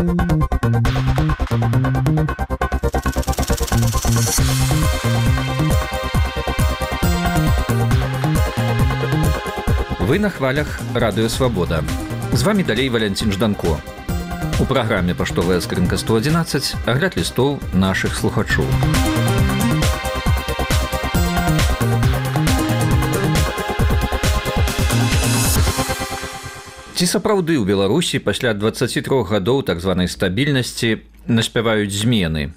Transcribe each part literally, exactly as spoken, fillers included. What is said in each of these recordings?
Вы на хвалях Радыё Свабода. З вами далей Валянцін Жданко. У праграме «Паштовая скрынка сто адзінаццаць» агляд лістоў нашых слухачоў. Ці сапраўды ў Беларусі пасля дваццаці трох гадоў так званай стабільнасці наспяваюць змены?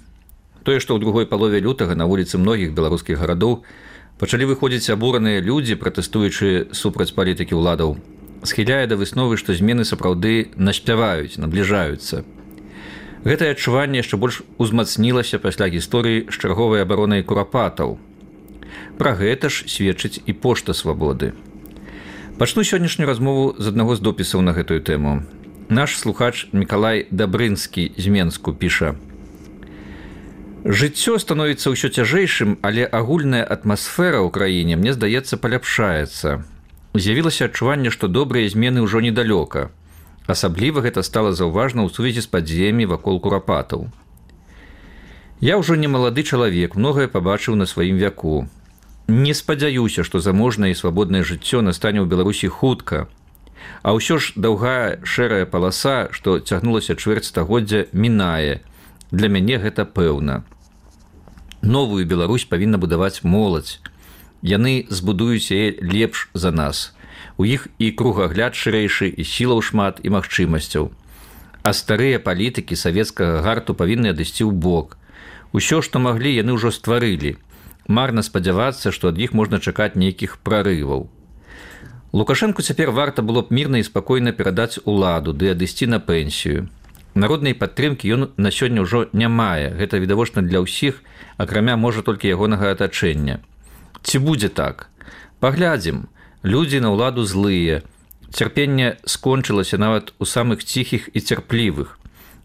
Тое, што ў другой палове лютага на вуліцы многіх беларускіх гарадоў пачалі выходзіць абураныя людзі, пратэстуючы супраць палітыкі ўладаў, схіляе да высновы, што змены сапраўды наспяваюць, набліжаюцца. Гэтае адчуванне яшчэ больш узмацнілася пасля гісторыі з чарговай абаронай курапатаў. Пра гэта ж сведчыць і пошта свабоды. Пачну сённяшнюю размову з аднаго з допісаў на гэтую тэму. Наш слухач Мікалай Дабрынскі з Менску піша: «Жыццё становіцца ўсё цяжэйшым, але агульная атмасфера ў краіне, мне здаецца, паляпшаецца. З'явілася адчуванне, што добрыя змены ўжо недалёка. Асабліва гэта стала заўважна ў сувязі з падзеямі вакол курапатаў. Я ўжо не малады чалавек, многае пабачыў на сваім вяку. Не спадзяюся, што заможнае і свабоднае жыццё настане ў Беларусі хутка. А ўсё ж даўгая шэрая паласа, што цягнулася чвэрць стагоддзя, мінае. Для мяне гэта пэўна. Новую Беларусь павінна будаваць моладзь. Яны збудуюць яе лепш за нас. У іх і кругагляд шырэйшы, і сілаў шмат, і магчымасцяў. А старыя палітыкі савецкага гарту павінны адысці ў бок. Усё, што маглі, яны ўжо стварылі. Марна спадзявацца, што ад іх можна чакаць нейкіх прарываў. Лукашэнку цяпер варта было б мірна і спакойна перадаць уладу ды адысці на пенсію. Народнай падтрымкі ён на сёння ўжо не мае. Гэта відавочна для ўсіх, акрамя, можа, толькі ягонага атачэння. Ці будзе так? Паглядзім. Людзі на ўладу злыя. Цярпенне скончылася нават у самых ціхіх і цярплівых.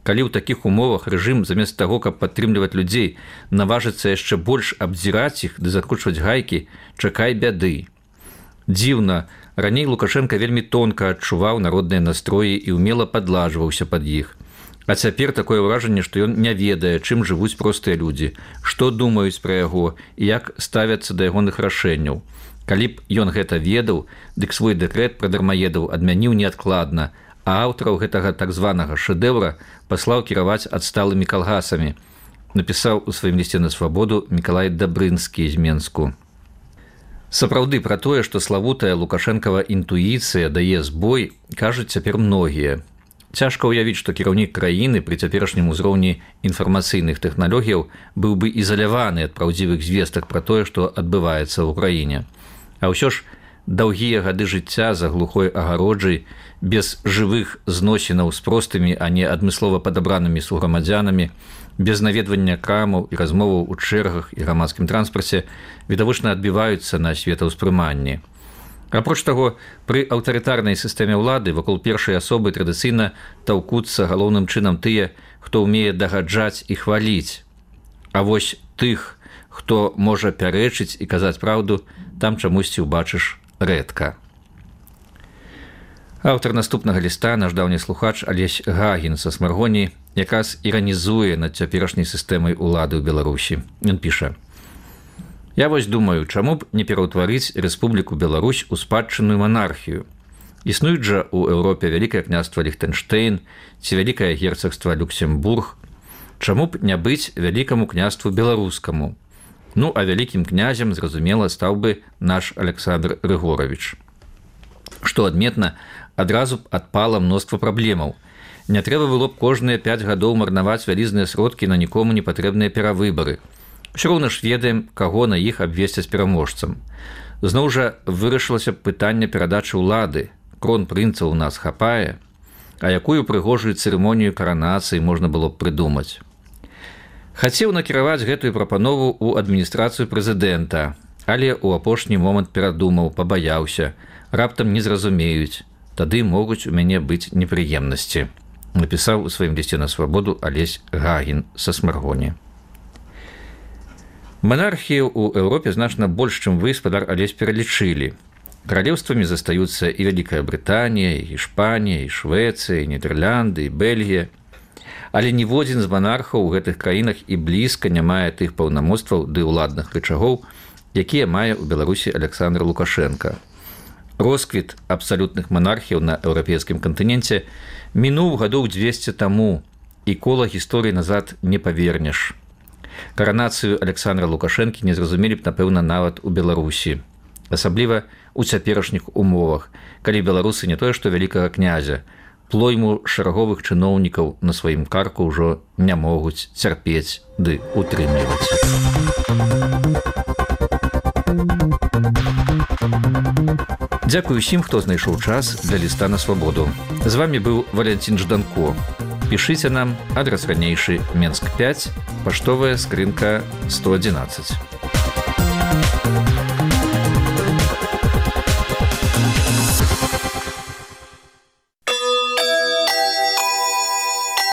Калі ў такіх умовах рэжым, замест таго, каб падтрымліваць людзей, наважыцца яшчэ больш абдзіраць іх ды закручваць гайкі, чакай бяды. Дзіўна, раней Лукашенка вельмі тонка адчуваў народныя настроі і ўмела падладжваўся пад іх. А цяпер такое ўражанне, што ён не ведае, чым жывуць простыя людзі, што думаюць пра яго і як ставяцца да ягоных рашэнняў. Калі б ён гэта ведаў, дык свой дэкрэт пра дармаедаў адмяніў неадкладна, а аўтараў гэтага так званага шэдэўра паслаў кіраваць адсталымі калгасамі, напісаў у сваім лісце на свабоду Мікалай Дабрынскі з Менску. Сапраўды, пра тое, што славутая Лукашэнкава інтуіцыя дае збой, кажуць цяпер многія. Цяжка ўявіць, што кіраўнік краіны пры цяперашнім узроўні інфармацыйных тэхналогіяў быў бы ізаляваны ад праўдзівых звестак пра тое, што адбываецца ў краіне. А ўсё ж даўгія гады жыцця за глухой агароджай, без жывых зносінаў з простымі, а не адмыслова падабранымі суграмадзянамі, без наведвання крамаў і размоваў у чэргах і грамадскім транспарце відавочна адбіваюцца на светаўспрыманні. Апроч таго, пры аўтарытарнай сістэме ўлады вакол першай асобы традыцыйна таўкуцца галоўным чынам тыя, хто ўмее дагаджаць і хваліць. А вось тых, хто можа пярэчыць і казаць праўду, там чамусьці ўбачыш рэдка. Аўтар наступнага ліста, наш даўні слухач Алесь Гагін са Смаргоні, якраз іранізуе над цяперашняй сістэмай улады ў Беларусі. Ён піша: «Я вось думаю, чаму б не пераўтварыць Рэспубліку Беларусь у спадчынную манархію? Існуюць жа ў Еўропе Вялікае княства Ліхтэнштэйн ці Вялікае герцагства Люксембург. Чаму б не быць Вялікаму княству беларускаму? Ну, а вялікім князем, зразумела, стаў бы наш Александр Рыгорович. Што адметна, адразу б адпала мноства праблемаў. Не трэба было б кожныя пяць гадоў марнаваць вялізныя сродкі на нікому не патрэбныя перавыбары. Усё роўна ж ведаем, каго на іх абвесцяць пераможцам. Зноў жа вырашылася б пытанне перадачы ўлады. Кронпрынца ў нас хапае, а якую прыгожую цырымонію каранацыі можна было б прыдумаць. Хацеў накіраваць гэтую прапанову ў адміністрацыю прэзідэнта, але ў апошні момант перадумаў, пабаяўся, раптам не зразумеюць, тады могуць у мяне быць непрыемнасці, напісаў у сваім лісце на свабоду Алесь Гагін са Смаргоні. Монархію ў Еўропе значна больш, чым вы, спадар Алесь, пералічылі. Каралеўствамі застаюцца і Вялікая Брытанія, і Іспанія, і Швецыя, і Нідерланды, і Бельгія. Але ніводзін з манархаў у гэтых краінах і блізка не мае тых паўнамоцтваў ды ўладных рычагоў, якія мае ў Беларусі Александр Лукашенко. Росквіт абсалютных манархіяў на еўрапейскім кантыненце мінуў гадоў дзвесце таму, і кола гісторыі назад не павернеш. Каранацыю Александра Лукашэнкі не зразумелі б, напэўна, нават у Беларусі. Асабліва у цяперашніх умовах, калі беларусы не тое што вялікага князя, плойму шараговых чыноўнікаў на сваім карку ўжо не могуць цярпець ды утрымліваць. Дзякую усім, хто знайшоў час для ліста на свабоду. З вами быў Валянцін Жданко. Пішыце нам, адрас ранейшы Менск пяць, паштовая скрынка сто адзінаццаць.